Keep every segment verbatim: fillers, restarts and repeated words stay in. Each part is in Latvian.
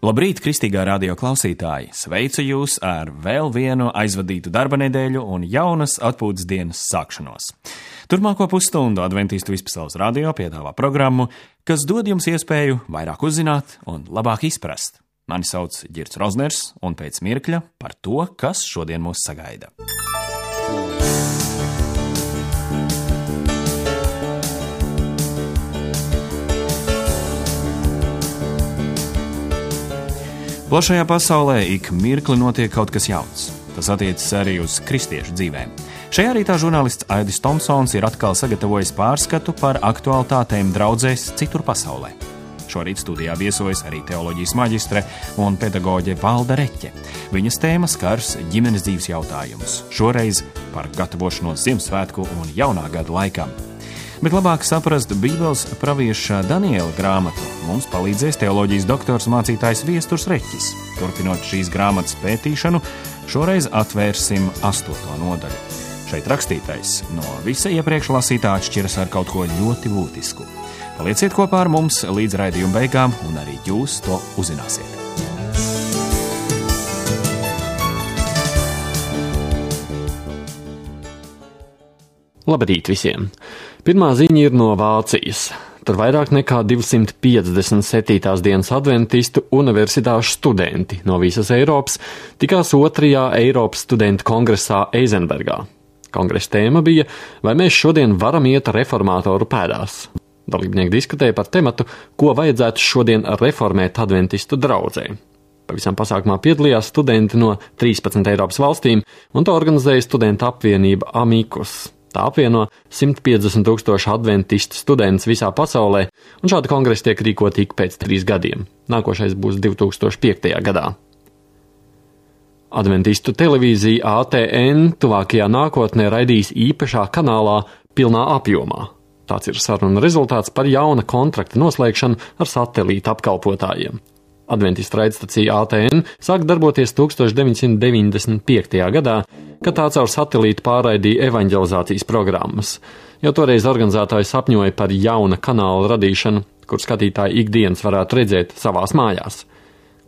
Labrīt, kristīgā radio klausītāji! Sveicu jūs ar vēl vienu aizvadītu darba nedēļu un jaunas atpūtas dienas sākšanos. Turpmāko pusstundu Adventistu Vispasaules radio piedāvā programmu, kas dod jums iespēju vairāk uzzināt un labāk izprast. Mani sauc Girts Rozners, un pēc mirkļa par to, kas šodien mūs sagaida. Plašajā pasaulē ik mirkli notiek kaut kas jauns. Tas attiecas arī uz kristiešu dzīvēm. Šajā rītā žurnālists Aidis Tomsons ir atkal sagatavojis pārskatu par aktualitātēm draudzēs citur pasaulē. Šorīt studijā viesojas arī teoloģijas maģistre un pedagoģe Valda Reķe. Viņas tēma skars ģimenes dzīves jautājumus. Šoreiz par gatavošanos Ziemassvētku un jaunā gada laikam. Bet labāk saprast Bībeles pravieša Daniela grāmatu mums palīdzēs teoloģijas doktors mācītājs Viesturs Reķis. Turpinot šīs grāmatas pētīšanu, šoreiz atvērsim astoto nodaļu. Šeit rakstītais no visa iepriekš lasītā atšķiras ar kaut ko ļoti būtisku. Palieciet kopā ar mums līdz raidījuma beigām, un arī jūs to uzzināsiet. Labrīt visiem! Pirmā ziņa ir no Vācijas. Tur vairāk nekā divsimt piecdesmit septītās dienas adventistu universitāšu studenti no visas Eiropas tikās otrajā Eiropas studentu kongresā Eizenbergā. Kongresa tēma bija, vai mēs šodien varam iet reformātoru pēdās. Dalībnieki diskutēja par tematu, ko vajadzētu šodien reformēt adventistu draudzē. Pavisam pasākumā piedalījās studenti no trīspadsmit Eiropas valstīm, un to organizēja studentu apvienība Amicus. Tā apvieno simt piecdesmit tūkstoši adventistu studentus visā pasaulē, un šādi kongresi tiek rīkoti ik pēc trīs gadiem. Nākošais būs divi tūkstoši piektajā gadā. Adventistu televīzija A T N tuvākajā nākotnē raidīs īpašā kanālā pilnā apjomā. Tāds ir saruna rezultāts par jauna kontrakta noslēgšanu ar satelīta apkalpotājiem. Adventistu raidstacija A T N sāk darboties deviņdesmit deviņdesmit piektajā gadā, kad tā caur satelītu pārraidīja evaņģelizācijas programmas. Jau toreiz organizētāji sapņoja par jauna kanāla radīšanu, kur skatītāji ikdienas varētu redzēt savās mājās.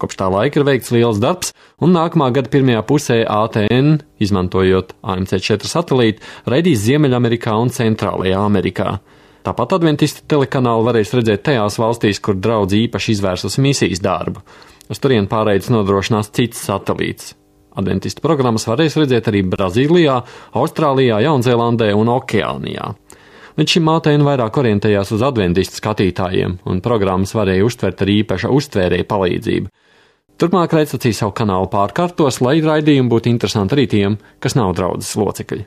Kopš tā laika ir veikts liels darbs, un nākamā gada pirmajā pusē A T N, izmantojot A M C četri satelītu, raidīs Ziemeļamerikā un Centrālajā Amerikā. Tāpat adventistu telekanālu varēs redzēt tajās valstīs, kur draudze īpaši izvērsus misijas darbu. Uz turien pārraides nodrošinās cits satelīts. Adventistu programmas varēs redzēt arī Brazīlijā, Austrālijā, Jaunzēlandē un Okeānijā. Līdz šim A T N vairāk orientējās uz adventistu skatītājiem, un programmas varēja uztvert ar īpaša uztvērēja palīdzību. Turpmāk raidstacija savu kanālu pārkārtos, lai raidījumi būtu interesanti arī tiem, kas nav draudzes locekļi.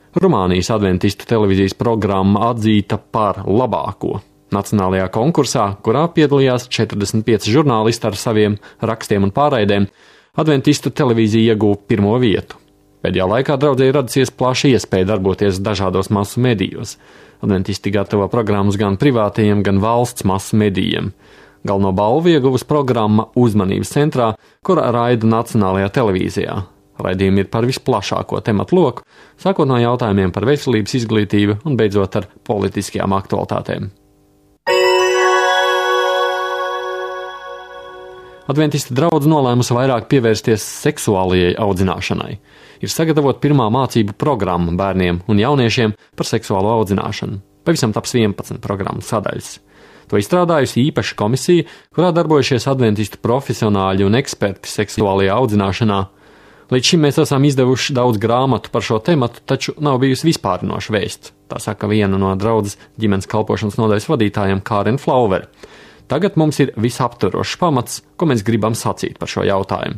Rumānijas adventistu televīzijas programma atzīta par labāko nacionālajā konkursā, kurā piedalījās četrdesmit pieci žurnālisti ar saviem rakstiem un pārraidēm. Adventistu televīzija ieguva pirmo vietu. Pēdējā laikā draudzē ir radusies plaša iespēja darboties dažādos masu medijos. Adventisti gatavo programmas gan privātajiem, gan valsts masu medijiem. Galveno balvu ieguvusi programma Uzmanības centrā, kura raida nacionālajā televīzijā. Raidījumi ir par visplašāko tematu loku, sākot no jautājumiem par veselības izglītību un beidzot ar politiskajām aktualitātēm. Adventistu draudze nolēmusi vairāk pievērsties seksuālajai audzināšanai. Ir sagatavot pirmā mācību programma bērniem un jauniešiem par seksuālo audzināšanu. Pavisam taps vienpadsmit programmas sadaļas. To izstrādājusi īpaša komisija, kurā darbojušies adventistu profesionāļi un eksperti seksuālajā audzināšanā. Līdz šim mēs esam izdevuši daudz grāmatu par šo tematu, taču nav bijusi vispārinoša vēsts. Tā saka viena no draudzes ģimenes kalpošanas nodaļas vadītājiem Kāren Flauver. Tagad mums ir visaptverošs pamats, ko mēs gribam sacīt par šo jautājumu.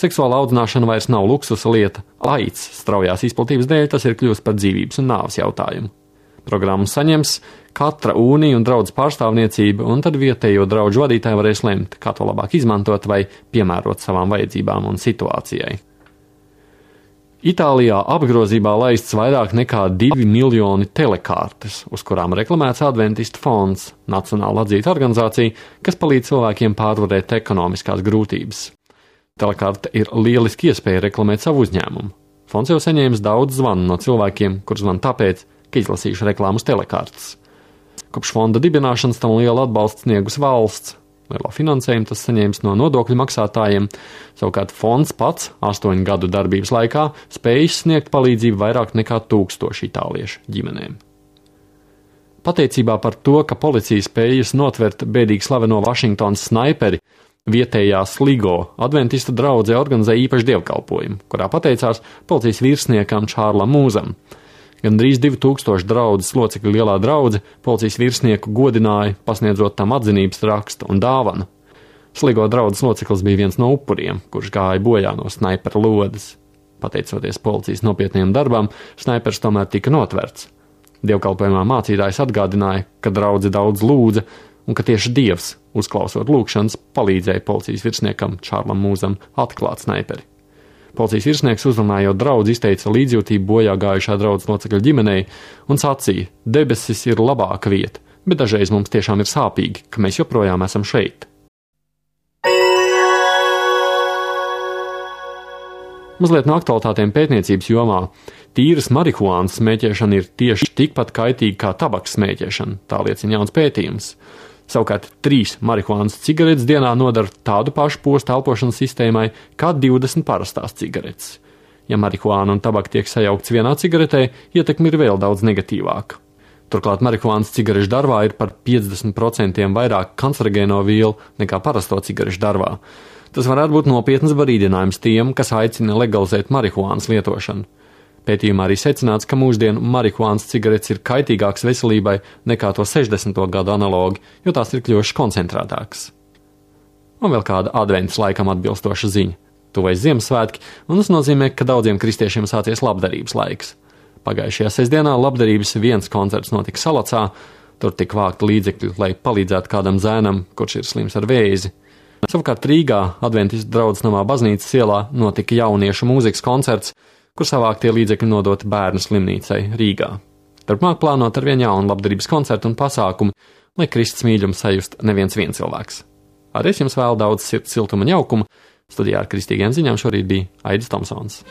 Seksuāla audzināšana vairs nav luksusa lieta. Aids straujās izplatības dēļ tas ir kļūst par dzīvības un nāves jautājumu. Programmu saņems katra ūnija un draudzes pārstāvniecība, un tad vietējo draudžu vadītāji varēs lemt, kā to labāk izmantot vai piemērot savām vajadzībām un situācijai. Itālijā apgrozībā laists vairāk nekā divi miljoni telekārtes, uz kurām reklamēts Adventistu fonds, nacionāla atzīta organizācija, kas palīdz cilvēkiem pārvarēt ekonomiskās grūtības. Telekarte ir lieliski iespēja reklamēt savu uzņēmumu. Fonds jau saņēmis daudz zvanu no cilvēkiem, kur zvan tāpēc, ka izlasījuši reklāmas telekartes. Kopš fonda dibināšanas tam lielu atbalstu sniegus valsts. Lielo finansējumu tas saņēmis no nodokļu maksātājiem, savukārt fonds pats astoņu gadu darbības laikā spējis sniegt palīdzību vairāk nekā tūkstoši itāliešu ģimenēm. Pateicībā par to, ka policija spējas notvert bēdīgi slaveno Vašingtonas snaiperi, vietējā Sligo adventistu draudzē organizēja īpašu dievkalpojumu, kurā pateicās policijas virsniekam Čārlam Mūzam. Gandrīz divi tūkstoši draudzes locekļu lielā draudze policijas virsnieku godināja, pasniedzot tam atzinības rakstu un dāvanu. Sligo draudzes loceklis bija viens no upuriem, kurš gāja bojā no snaipera lodes. Pateicoties policijas nopietniem darbam, snaipers tomēr tika notverts. Dievkalpojumā mācītājs atgādināja, ka draudze daudz lūdza un ka tieši Dievs, uzklausot lūgšanas, palīdzēja policijas virsniekam Čārlam Mūzam atklāt snaiperi. Policijas virsnieks uzrunājot draudzi izteica līdzjūtību bojā gājušā draudzes locekļa ģimenei un sacīja: debesis ir labāka vieta, bet dažreiz mums tiešām ir sāpīgi, ka mēs joprojām esam šeit. Mazliet no aktualitātēm pētniecības jomā. Tīras marihuānas smēķēšana ir tieši tikpat kaitīga kā tabaks smēķēšana, tā liecina jauns pētījums. Savukārt trīs marihuānas cigaretes dienā nodara tādu pašu postu elpošanas sistēmai kā divdesmit parastās cigaretes. Ja marihuāna un tabaka tiek sajaukts vienā cigaretē, ietekme ir vēl daudz negatīvāka. Turklāt marihuānas cigarešu darbā ir par piecdesmit procentiem vairāk kancerogēno vielu nekā parasto cigarešu darbā. Tas varētu būt nopietns brīdinājums tiem, kas aicina legalizēt marihuānas lietošanu. Pētījumā arī secināts, ka mūsdienu marihuānas cigaretes ir kaitīgākas veselībai nekā to sešdesmito gadu analogi, jo tās ir kļuvušas koncentrētākas. Un vēl kāda adventas laikam atbilstoša ziņa. Tuvojas Ziemassvētki, un tas nozīmē, ka daudziem kristiešiem sācies labdarības laiks. Pagājušajā sestdienā labdarības viens koncerts notika Salacā, tur tika vākti līdzekļi, lai palīdzētu kādam zēnam, kurš ir slims ar vēzi. Savukārt Rīgā adventistu draudzes namā baznīcas ielā notika jauniešu mūzikas koncerts, kur savāktie līdzekļi nodoti bērnu slimnīcai Rīgā. Turpmāk plānot ar vien jaunu labdarības koncertu un pasākumu, lai Kristus mīļumu sajust neviens viens cilvēks. Arī es jums vēlu daudz sirds siltuma un jaukuma. Studijā ar kristīgiem ziņām šorīt bija Aidis Tomsons.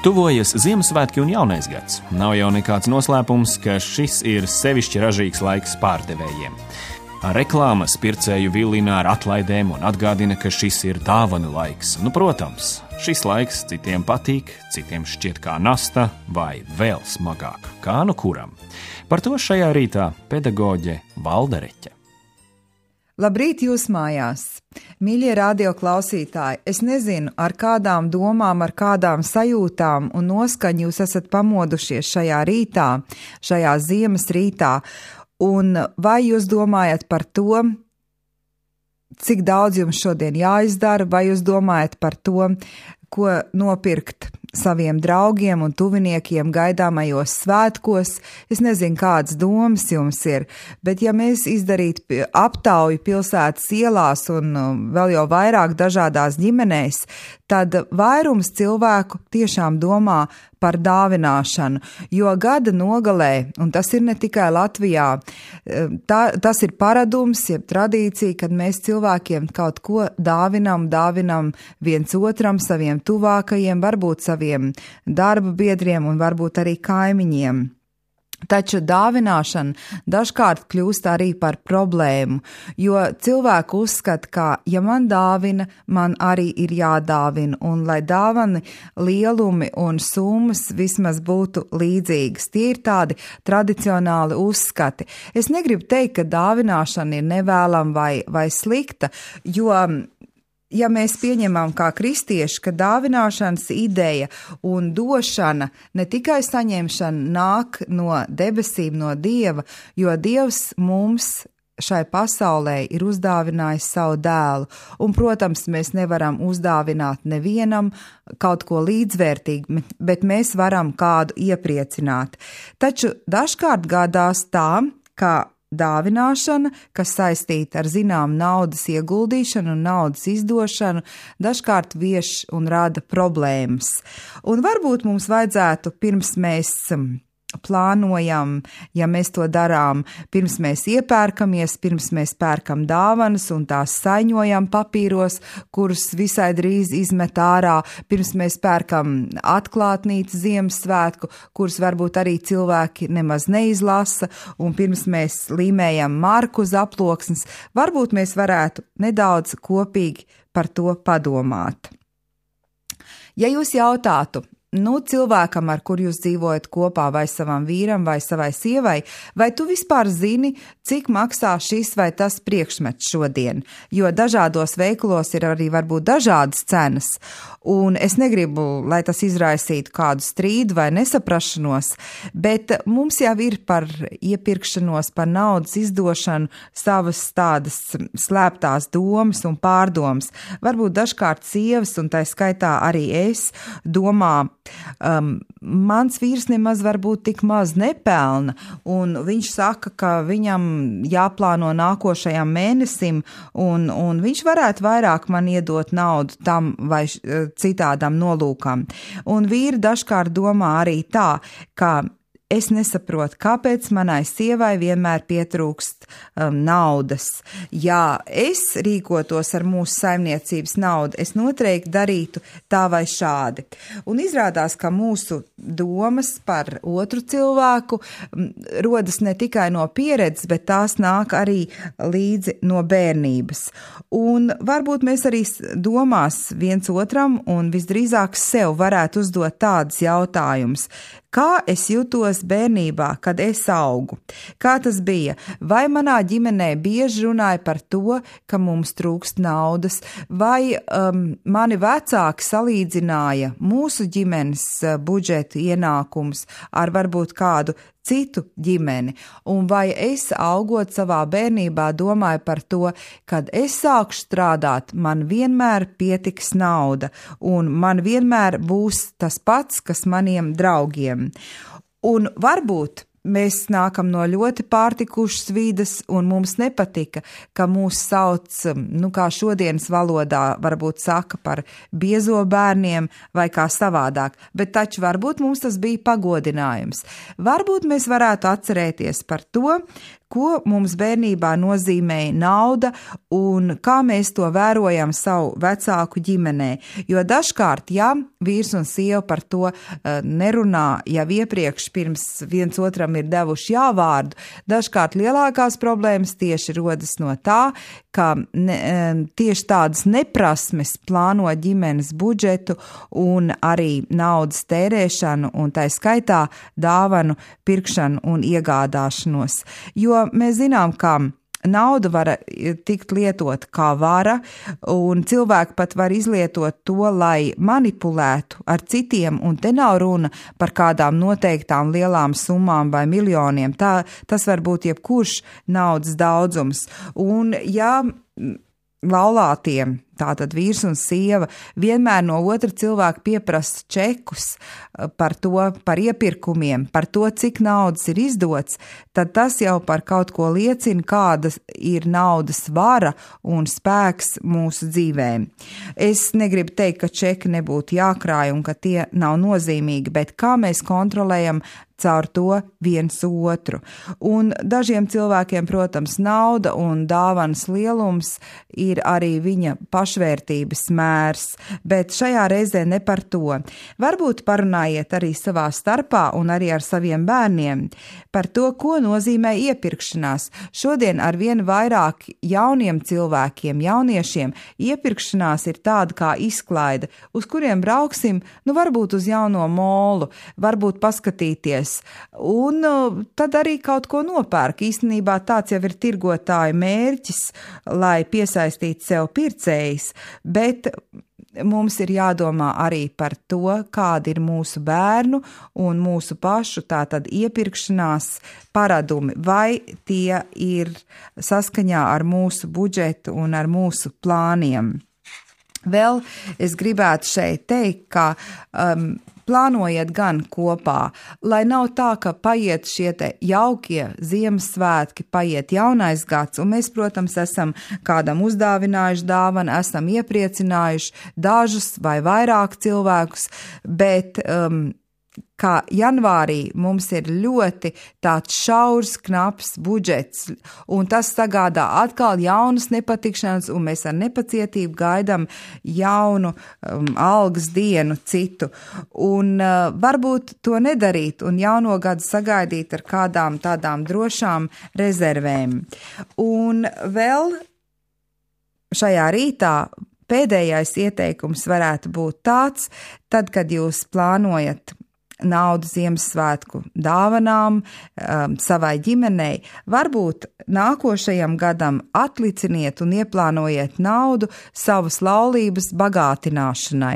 Tuvojas Ziemassvētki un Jaunais gads. Nav jau nekāds noslēpums, ka šis ir sevišķi ražīgs laiks pārdevējiem. Reklāmas pircēju vilina ar atlaidēm un atgādina, ka šis ir dāvanu laiks. Nu, protams, šis laiks citiem patīk, citiem šķiet kā nasta vai vēl smagāk, kā nu kuram. Par to šajā rītā pedagoģe Valda Reķe. Labrīt jūs mājās! Mīļie radio klausītāji, es nezinu, ar kādām domām, ar kādām sajūtām un noskaņu jūs esat pamodušies šajā rītā, šajā ziemas rītā, un vai jūs domājat par to, cik daudz jums šodien jāizdara, vai jūs domājat par to, ko nopirkt saviem draugiem un tuviniekiem gaidāmajos svētkos. Es nezinu, kādas domas jums ir, bet ja mēs izdarītu aptauju pilsētas ielās un vēl jau vairāk dažādās ģimenēs, tad vairums cilvēku tiešām domā par dāvināšanu, jo gada nogalē, un tas ir ne tikai Latvijā, tā, tas ir paradums, jeb tradīcija, kad mēs cilvēkiem kaut ko dāvinam, dāvinam viens otram, saviem tuvākajiem, varbūt saviem darba biedriem un varbūt arī kaimiņiem. Taču dāvināšana dažkārt kļūst arī par problēmu, jo cilvēki uzskata, ka, ja man dāvina, man arī ir jādāvina, un lai dāvani lielumi un summas vismaz būtu līdzīgas. Tie ir tādi tradicionāli uzskati. Es negribu teikt, ka dāvināšana ir nevēlama vai, vai slikta, jo ja mēs pieņemam kā kristieši, ka dāvināšanas ideja un došana, ne tikai saņemšana nāk no debesīm, no Dieva, jo Dievs mums šai pasaulē ir uzdāvinājis savu dēlu, un, protams, mēs nevaram uzdāvināt nevienam kaut ko līdzvērtīgu, bet mēs varam kādu iepriecināt. Taču dažkārt gadās tā, ka dāvināšana, kas saistīta ar zinām naudas ieguldīšanu un naudas izdošanu, dažkārt vieš un rada problēmas. Un varbūt mums vajadzētu, pirms mēs plānojam, ja mēs to darām, pirms mēs iepērkamies, pirms mēs pērkam dāvanas un tās saiņojam papīros, kurus visai drīz izmet ārā, pirms mēs pērkam atklātnīcu Ziemassvētku, kurus varbūt arī cilvēki nemaz neizlasa, un pirms mēs līmējam marku uz aploksnes, varbūt mēs varētu nedaudz kopīgi par to padomāt. Ja jūs jautātu, nu, cilvēkam, ar kur jūs dzīvojat kopā, vai savam vīram, vai savai sievai, vai tu vispār zini, cik maksā šis vai tas priekšmets šodien? Jo dažādos veikalos ir arī varbūt dažādas cenas, un es negribu, lai tas izraisītu kādu strīdu vai nesaprašanos, bet mums jau ir par iepirkšanos, par naudas izdošanu savas tādas slēptās domas un pārdomas. Varbūt dažkārt sievas, un tā skaitā arī es, domā, Um, mans vīrs nemaz varbūt tik maz nepelna, un viņš saka, ka viņam jāplāno nākošajam mēnesim, un, un viņš varētu vairāk man iedot naudu tam vai citādam nolūkam. Un vīri dažkārt domā arī tā, ka es nesaprotu, kāpēc manai sievai vienmēr pietrūkst um, naudas. Ja es rīkotos ar mūsu saimniecības naudu, es noteikti darītu tā vai šādi. Un izrādās, ka mūsu domas par otru cilvēku um, rodas ne tikai no pieredzes, bet tās nāk arī līdzi no bērnības. Un varbūt mēs arī domās viens otram un visdrīzāk sev varētu uzdot tādus jautājumus. Kā es jutos bērnībā, kad es augu? Kā tas bija? Vai manā ģimenē bieži runāja par to, ka mums trūkst naudas, vai um, mani vecāki salīdzināja mūsu ģimenes uh, budžetu ienākums ar varbūt kādu citu ģimeni, un vai es augot savā bērnībā domāju par to, kad es sākšu strādāt, man vienmēr pietiks nauda, un man vienmēr būs tas pats, kas maniem draugiem. Un varbūt mēs nākam no ļoti pārtikušas vides, un mums nepatika, ka mūs sauc, nu kā šodienas valodā varbūt saka par biezo bērniem vai kā savādāk, bet taču varbūt mums tas bija pagodinājums. Varbūt mēs varētu atcerēties par to, ko mums bērnībā nozīmēja nauda un kā mēs to vērojam savu vecāku ģimenē. Jo dažkārt, ja vīrs un sieva par to uh, nerunā jau iepriekš pirms viens otram ir devuši jāvārdu, dažkārt lielākās problēmas tieši rodas no tā, ka ne, tieši tādas neprasmes plāno ģimenes budžetu un arī naudas tērēšanu un tā skaitā dāvanu pirkšanu un iegādāšanos. Jo mēs zinām, ka nauda var tikt lietot kā vara, un cilvēki pat var izlietot to, lai manipulētu ar citiem, un te nav runa par kādām noteiktām lielām summām vai miljoniem. Tā, tas var būt jebkurš naudas daudzums. Un ja laulātiem, tātad vīrs un sieva, vienmēr no otra cilvēka pieprasa čekus par to, par iepirkumiem, par to, cik naudas ir izdots, tad tas jau par kaut ko liecina, kāda ir naudas vara un spēks mūsu dzīvēm. Es negribu teikt, ka čeki nebūtu jākrāj un ka tie nav nozīmīgi, bet kā mēs kontrolējam caur to viens otru. Un dažiem cilvēkiem, protams, nauda un dāvanas lielums ir arī viņa pašvērtības mērs, bet šajā reizē ne par to. Varbūt parunājiet arī savā starpā un arī ar saviem bērniem par to, ko nozīmē iepirkšanās. Šodien ar vien vairāk jauniem cilvēkiem, jauniešiem, iepirkšanās ir tāda kā izklaide, uz kuriem brauksim, nu varbūt uz jauno molu, varbūt paskatīties, un tad arī kaut ko nopērk. Īstenībā tāds jau ir tirgotāja mērķis, lai piesaistītu sev pircējus, bet mums ir jādomā arī par to, kādi ir mūsu bērnu un mūsu pašu tātad iepirkšanās paradumi, vai tie ir saskaņā ar mūsu budžetu un ar mūsu plāniem. Vēl es gribētu šeit teikt, ka um, plānojiet gan kopā, lai nav tā, ka paiet šie te jaukie Ziemassvētki, paiet jaunais gads, un mēs, protams, esam kādam uzdāvinājuši dāvanu, esam iepriecinājuši dažus vai vairāk cilvēkus, bet um, kā janvārī mums ir ļoti tāds šaurs, knaps budžets, un tas sagādā atkal jaunas nepatikšanas, un mēs ar nepacietību gaidām jaunu um, algas dienu citu. Un uh, varbūt to nedarīt un jauno gadu sagaidīt ar kādām tādām drošām rezervēm. Un vēl šajā rītā pēdējais ieteikums varētu būt tāds, tad, kad jūs plānojat naudu Ziemassvētku dāvanām um, savai ģimenei, varbūt nākošajam gadam atliciniet un ieplānojiet naudu savas laulības bagātināšanai.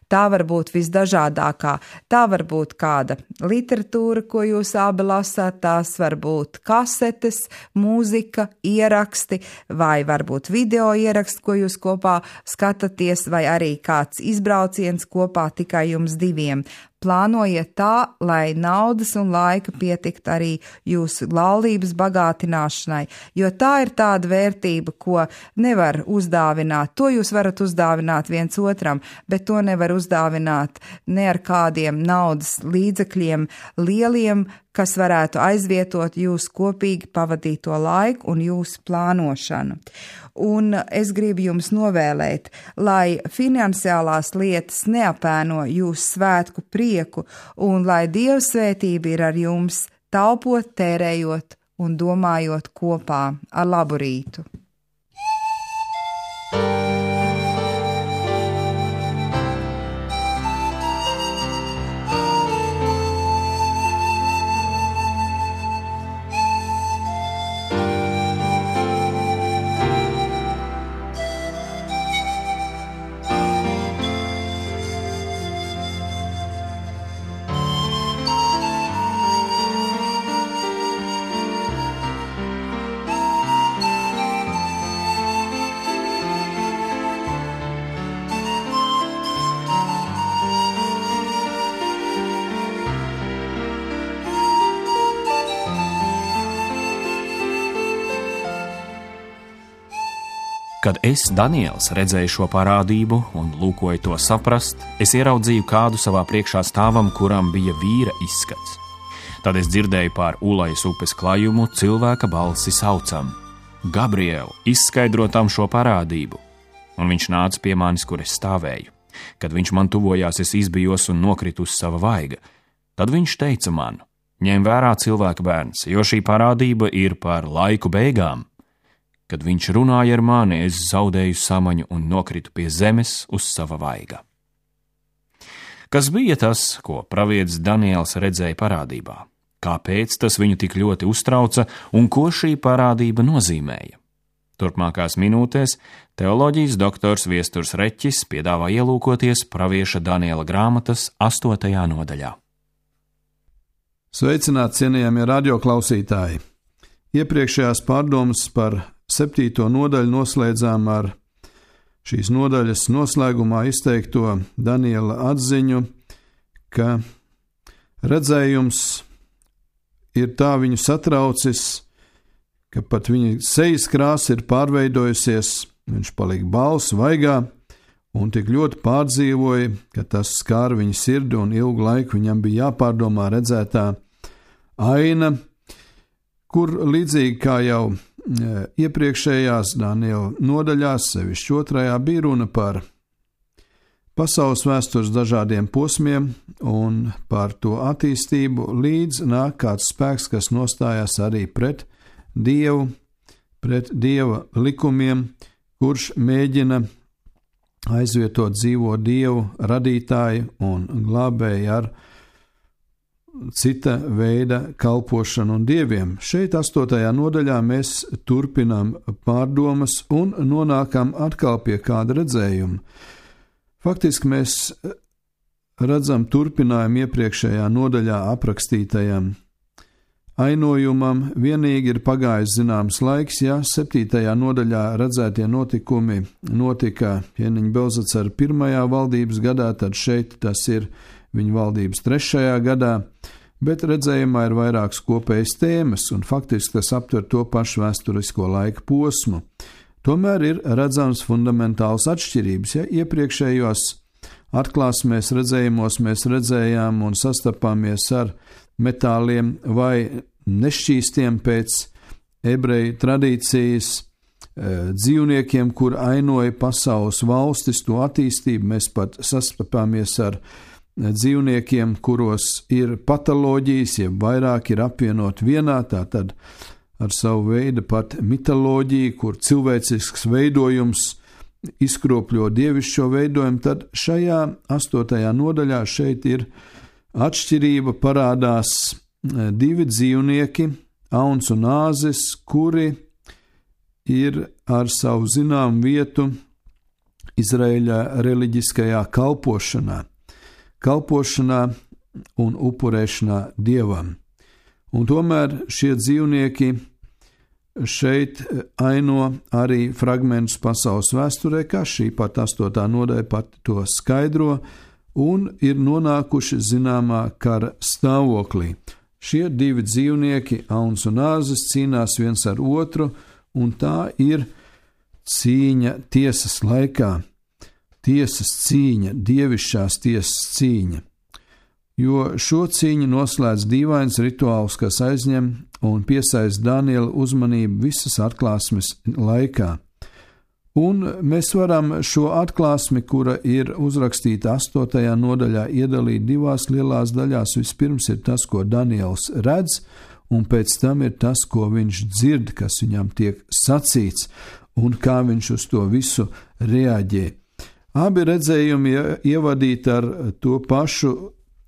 Tā var būt visdažādākā, tā var būt kāda literatūra, ko jūs abi lasāt, tās var būt kasetes, mūzika, ieraksti, vai varbūt video ieraksti, ko jūs kopā skatāties, vai arī kāds izbrauciens kopā tikai jums diviem. Plānojiet tā, lai naudas un laika pietikt arī jūsu laulības bagātināšanai, jo tā ir tāda vērtība, ko nevar uzdāvināt. To jūs varat uzdāvināt viens otram, bet to nevar uzdāvināt ne ar kādiem naudas līdzekļiem lieliem, kas varētu aizvietot jūsu kopīgi pavadīto laiku un jūsu plānošanu. Un es gribu jums novēlēt, lai finansiālās lietas neapēno jūsu svētku prieku un lai Dieva svētība ir ar jums, taupot, tērējot un domājot kopā. Ar labu rītu! Kad es, Daniels, redzēju šo parādību un lūkoju to saprast, es ieraudzīju kādu savā priekšā stāvam, kuram bija vīra izskats. Tad es dzirdēju pār Ulajas upes klajumu cilvēka balsi saucam: Gabriel, izskaidro tam šo parādību. Un viņš nāca pie manis, kur es stāvēju. Kad viņš man tuvojās, es izbijos un nokritu uz sava vaiga. Tad viņš teica man: ņem vērā cilvēka bērns, jo šī parādība ir par laiku beigām. Kad viņš runāja ar mani, es zaudēju samaņu un nokritu pie zemes uz sava vaiga. Kas bija tas, ko pravietis Daniels redzēja parādībā? Kāpēc tas viņu tik ļoti uztrauca un ko šī parādība nozīmēja? Turpmākās minūtēs teoloģijas doktors Viesturs Reķis piedāvā ielūkoties pravieša Daniela grāmatas astotajā nodaļā. Sveicināti, cienījamie radioklausītāji! Iepriekšējās pārdomas par septīto nodaļu noslēdzām ar šīs nodaļas noslēgumā izteikto Daniela atziņu, ka redzējums ir tā viņu satraucis, ka pat viņa sejas krāsa ir pārveidojusies, viņš palika bals, vaigā, un tik ļoti pārdzīvoja, ka tas skāra viņa sirdi un ilgu laiku viņam bija jāpārdomā redzētā aina, kur līdzīgi kā jau iepriekšējās Daniela nodaļās, sevišķi otrajā, bija runa par pasaules vēstures dažādiem posmiem un par to attīstību, līdz nāk kāds spēks, kas nostājās arī pret Dievu, pret Dieva likumiem, kurš mēģina aizvietot dzīvo Dievu radītāju un glābēju ar cita veida kalpošanu un dieviem. Šeit astotajā nodaļā mēs turpinām pārdomas un nonākam atkal pie kāda redzējuma. Faktiski mēs redzam turpinājumu iepriekšējā nodaļā aprakstītajam ainojumam, vienīgi ir pagājis zināms laiks, ja septītajā nodaļā redzētie notikumi notika ķēniņa Belzacara pirmajā valdības gadā, tad šeit tas ir viņa valdības trešajā gadā, bet redzējumā ir vairākas kopējas tēmas, un faktiski tas aptver to pašu vēsturisko laika posmu. Tomēr ir redzams fundamentāls atšķirības, ja iepriekšējos atklāsmēs redzējumos mēs redzējām un sastapāmies ar metāliem vai nešķīstiem pēc ebreju tradīcijas dzīvniekiem, kur ainoja pasaules valstis, to attīstību. Mēs pat sastapāmies ar dzīvniekiem, kuros ir patoloģijas, ja vairāk ir apvienot vienā, tātad ar savu veidu pat mitoloģiju, kur cilvēcisks veidojums izkropļo dievišķo veidojumu, tad šajā astotajā nodaļā šeit ir atšķirība, parādās divi dzīvnieki, auns un āzis, kuri ir ar savu zinām vietu Izraēļa reliģiskajā kalpošanā, kalpošanā un upurēšanā dievam. Un tomēr šie dzīvnieki šeit aino arī fragmentus pasaules vēsturē, kā šī pat astotā nodaļa pat to skaidro, un ir nonākuši zināmā kara stāvoklī. Šie divi dzīvnieki, auns un āzis, cīnās viens ar otru, un tā ir cīņa tiesas laikā, tiesas cīņa, dievišķās tiesas cīņa. Jo šo cīņu noslēdz dīvains rituāls, kas aizņem un piesaista Daniela uzmanību visas atklāsmes laikā. Un mēs varam šo atklāsmi, kura ir uzrakstīta astotajā nodaļā, iedalīt divās lielās daļās. Vispirms ir tas, ko Daniels redz, un pēc tam ir tas, ko viņš dzird, kas viņam tiek sacīts, un kā viņš uz to visu reaģē. Abi redzējumi ievadīti ar to pašu: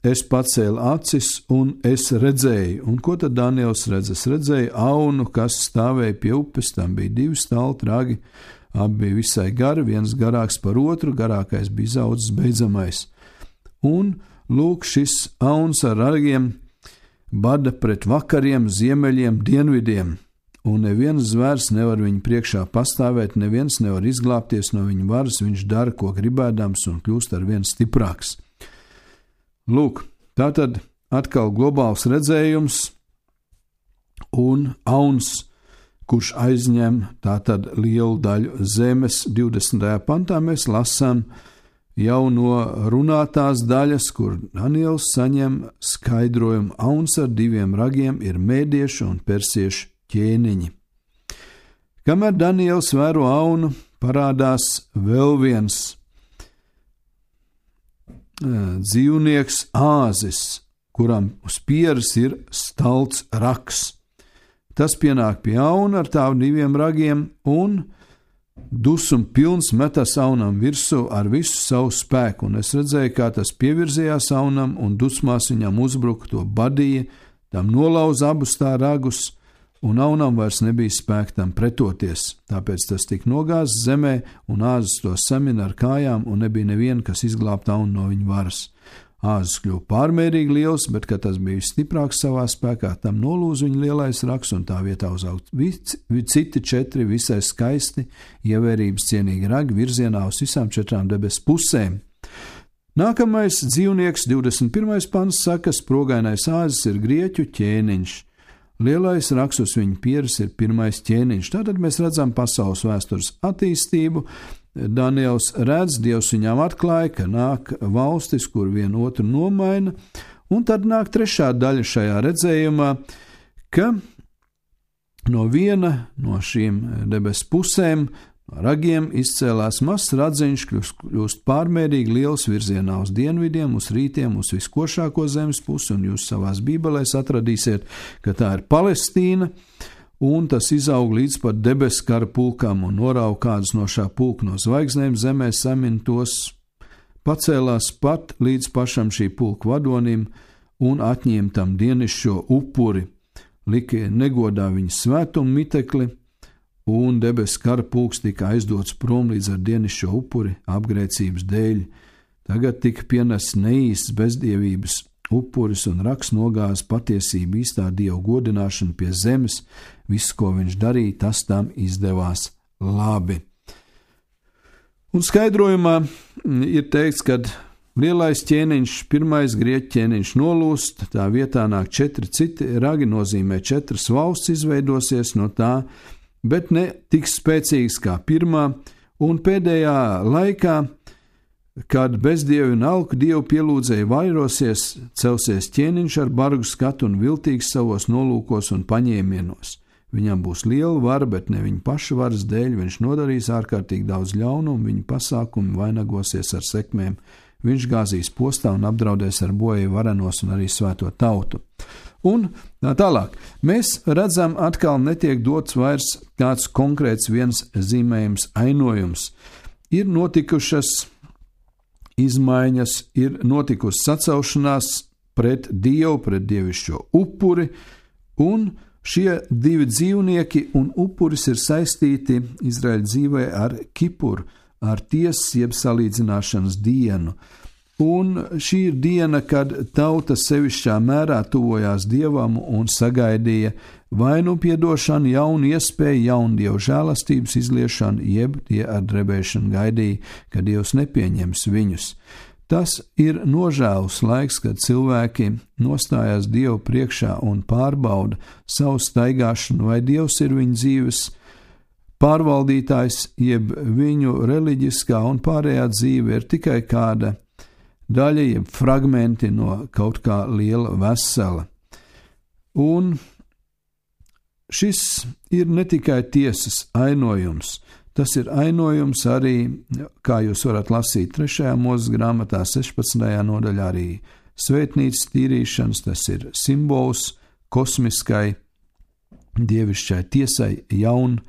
es pacēlu acis un es redzēju. Un ko tad Daniels redz? Es redzēju aunu, kas stāvēja pie upes, tam bija divi stalti ragi, abi bija visai gari, viens garāks par otru, garākais bija izaudzis beidzamais. Un lūk, šis auns ar ragiem bada pret vakariem, ziemeļiem, dienvidiem, un neviens zvērs nevar viņu priekšā pastāvēt, neviens nevar izglābties no viņa varas, viņš dara, ko gribēdams, un kļūst ar vien stiprāks. Lūk, tātad atkal globāls redzējums un auns, kurš aizņem tātad lielu daļu zemes. divdesmitajā pantā mēs lasām jau no runātās daļas, kur Daniels saņem skaidrojumu: auns ar diviem ragiem ir mēdiešu un persiešu ķēniņi. Kamēr Daniels vēro aunu, parādās vēl viens dzīvnieks, āzis, kuram uz pieres ir stalts rags. Tas pienāk pie auna ar tām diviem ragiem un dusmu pilns metas aunam virsū ar visu savu spēku. Un es redzēju, kā tas pievirzījās aunam un dusmās viņam uzbruka, to badīja, tam nolauza abus tā ragus, un aunam vairs nebija spēka tam pretoties. Tāpēc tas tika nogāzts zemē, un āzis to samina ar kājām, un nebija neviena, kas izglābtu aunu no viņa varas. Āzis kļuva pārmērīgi liels, bet, kad tas bija stiprāks savā spēkā, tam nolūza viņa lielais rags, un tā vietā uzaugt citi četri visai skaisti, ievērības cienīgi ragi virzienā uz visām četrām debesu pusēm. Nākamais dzīvnieks, divdesmit pirmais pants, saka: sprogainais āzis ir grieķu ķēniņš. Lielais rags uz viņa pieres ir pirmais ķēniņš. Tātad mēs redzam pasaules vēstures attīstību. Daniels redz, Dievs viņām atklāja, ka nāk valstis, kur vienu otru nomaina, un tad nāk trešā daļa šajā redzējumā, ka no viena no šīm debesu pusēm, no ragiem, izcēlās mazs radziņš, kļūst, kļūst pārmērīgi liels virzienā uz dienvidiem, uz rītiem, uz viskošāko zemes pusi, un jūs savās bībelēs atradīsiet, ka tā ir Palestīna, un tas izaug līdz pat debesu kara pulkam un norauga kādus no šā pulka no zvaigznēm zemē, samin tos, pacēlās pat līdz pašam šī pulka vadonim un atņēma tam dienišķo upuri, lika negodā viņa svētumu mitekli, un debesu kara pulks tika aizdots prom līdz ar dienišķo upuri apgrēcības dēļ Tagad tika pienests neīsts bezdievības upuris un raks nogāz patiesību īstā Dieva godināšanu pie zemes. Viss, ko viņš darīja, tas tam izdevās labi. Un skaidrojumā ir teikts, ka lielais ķēniņš, pirmais grieķu ķēniņš nolūst, tā vietā nāk četri citi ragi, nozīmē četras valsts izveidosies no tā, bet ne tik spēcīgas kā pirmā, un pēdējā laikā, kad bezdievi un alku dievu pielūdzēji vairosies, celsies ķēniņš ar bargu skatu un viltīgs savos nolūkos un paņēmienos. Viņam būs liela vara, bet ne viņa paša varas dēļ, viņš nodarīs ārkārtīgi daudz ļaunumu, viņa pasākumi vainagosies ar sekmēm, viņš gāzīs postā un apdraudēs ar bojēju varenos un arī svēto tautu. Un tālāk, mēs redzam, atkal netiek dots vairs kāds konkrēts viens zīmējums, ainojums. Ir notikušas izmaiņas, ir notikusi sacelšanās pret Dievu, pret dievišķo upuri, un šie divi dzīvnieki un upuris ir saistīti Izraēļa dzīvē ar Kipuru, ar tiesas jeb salīdzināšanas dienu. Un šī ir diena, kad tauta sevišķā mērā tuvojās Dievam un sagaidīja vainu piedošanu, jaunu iespēju, jaunu Dievu žēlastības izliešanu, jeb tie ar drebēšanu gaidīja, ka Dievs nepieņems viņus. Tas ir nožēlus laiks, kad cilvēki nostājās Dievu priekšā un pārbauda savu staigāšanu, vai Dievs ir viņu dzīves pārvaldītājs, jeb viņu reliģiskā un pārējā dzīve ir tikai kāda daļa, jeb fragmenti no kaut kā liela vesela. Un šis ir ne tikai tiesas ainojums, tas ir ainojums arī, kā jūs varat lasīt trešajā Mūzes grāmatā, sešpadsmitajā nodaļā, arī svētnīcas tīrīšanas, tas ir simbols kosmiskai, dievišķai tiesai, jaun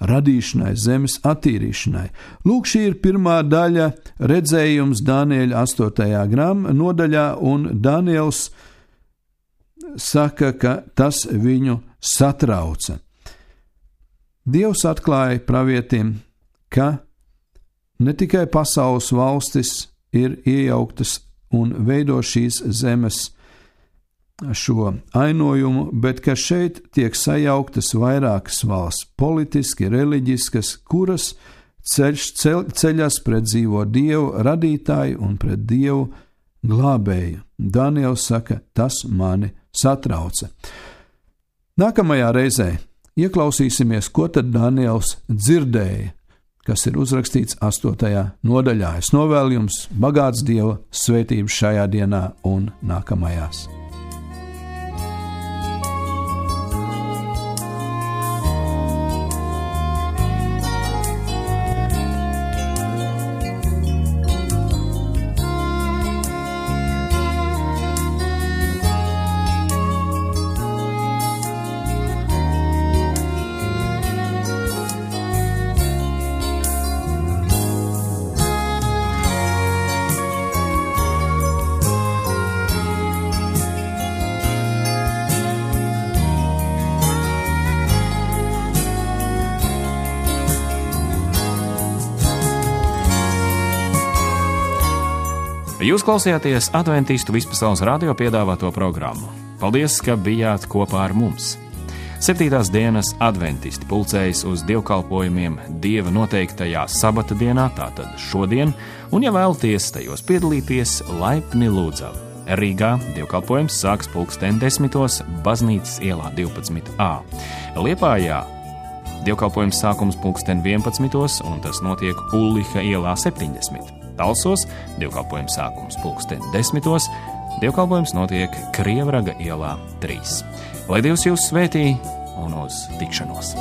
radīšanai, zemes attīrīšanai. Lūk, šī ir pirmā daļa redzējums Daniēļa astotajā grāmatā nodaļā, un Daniels saka, ka tas viņu satrauca. Dievs atklāja pravietim, ka ne tikai pasaules valstis ir iejauktas un veido šīs zemes šo ainojumu, bet ka šeit tiek sajauktas vairākas valsts, politiski, reliģiskas, kuras ceļš, ceļ, ceļas pret dzīvo Dievu radītāju un pret Dievu glābēju. Daniels saka, tas mani satrauca. Nākamajā reizē ieklausīsimies, ko tad Daniels dzirdēja, kas ir uzrakstīts astotajā nodaļā. Es novēlu jums bagāts Dieva svētības šajā dienā un nākamajās. Jūs klausījāties Adventistu vispasaules radio piedāvāto programmu. Paldies, ka bijāt kopā ar mums. Septītās dienas adventisti pulcējas uz dievkalpojumiem Dieva noteiktajā sabata dienā, tātad šodien, un ja vēlaties tajos piedalīties, laipni lūdzam. Rīgā dievkalpojums sāks pulksten desmitos Baznīcas ielā divpadsmit A. Liepājā dievkalpojums sākums pulksten vienpadsmitos, un tas notiek Ulliha ielā septiņdesmit. Talsos dievkalpojums sākums pulksten desmitos, dievkalpojums notiek Krievraga ielā trīs. Lai Dievs jūs svētī un uz tikšanos!